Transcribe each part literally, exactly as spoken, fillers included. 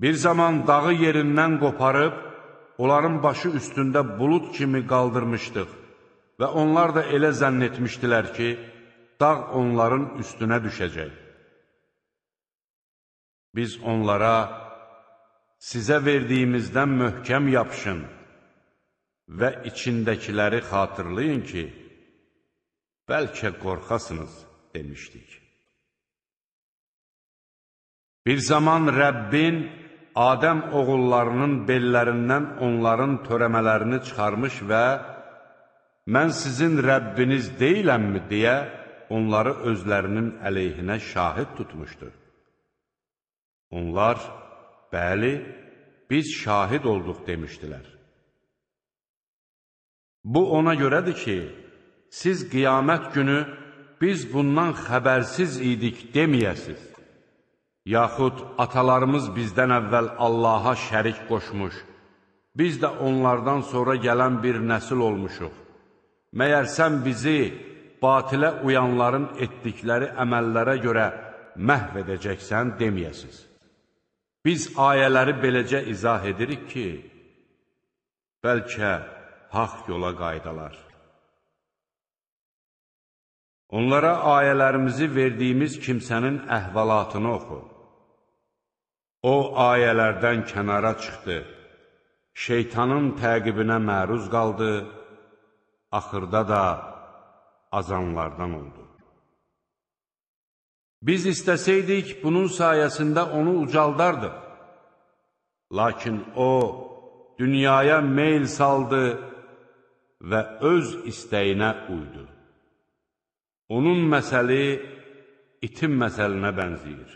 Bir zaman dağı yerindən qoparıb, onların başı üstündə bulud kimi qaldırmışdıq və onlar da elə zənn etmişdilər ki, dağ onların üstünə düşəcək. Biz onlara, sizə verdiyimizdən möhkəm yapışın və içindəkiləri xatırlayın ki, bəlkə qorxasınız demişdik. Bir zaman Rəbbin Adəm oğullarının bellərindən onların törəmələrini çıxarmış və mən sizin Rəbbiniz deyiləmmi deyə onları özlərinin əleyhinə şahid tutmuşdur. Onlar, bəli, biz şahid olduq demişdilər. Bu ona görədir ki, siz qiyamət günü biz bundan xəbərsiz idik deməyəsiz. Yaxud atalarımız bizdən əvvəl Allaha şərik qoşmuş, biz də onlardan sonra gələn bir nəsil olmuşuq. Məyər sən bizi batilə uyanların etdikləri əməllərə görə məhv edəcəksən deməyəsiz. Biz ayələri beləcə izah edirik ki, bəlkə haqq yola qaydalar. Onlara ayələrimizi verdiyimiz kimsənin əhvalatını oxu. O ayələrdən kənara çıxdı, şeytanın təqibinə məruz qaldı, axırda da azanlardan oldu. Biz istəsəydik, bunun sayəsində onu ucaldardıq. Lakin o, dünyaya meyl saldı və öz istəyinə uydu. Onun məsəli itin məsəlinə bənzəyir.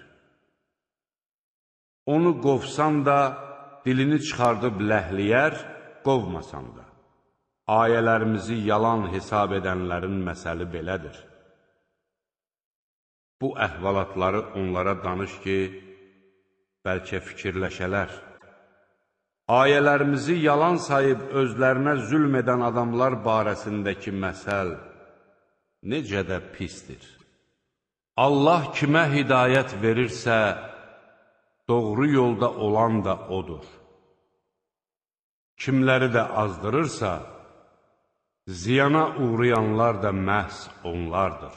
Onu qovsan da, dilini çıxardıb ləhliyər, qovmasan da. Ayələrimizi yalan hesab edənlərin məsəli belədir. Bu əhvalatları onlara danış ki, bəlkə fikirləşələr. Ayələrimizi yalan sayıb özlərinə zülm edən adamlar barəsindəki məsəl necə də pisdir. Allah kimə hidayət verirsə, doğru yolda olan da odur. Kimləri də azdırırsa, ziyana uğrayanlar da məhz onlardır.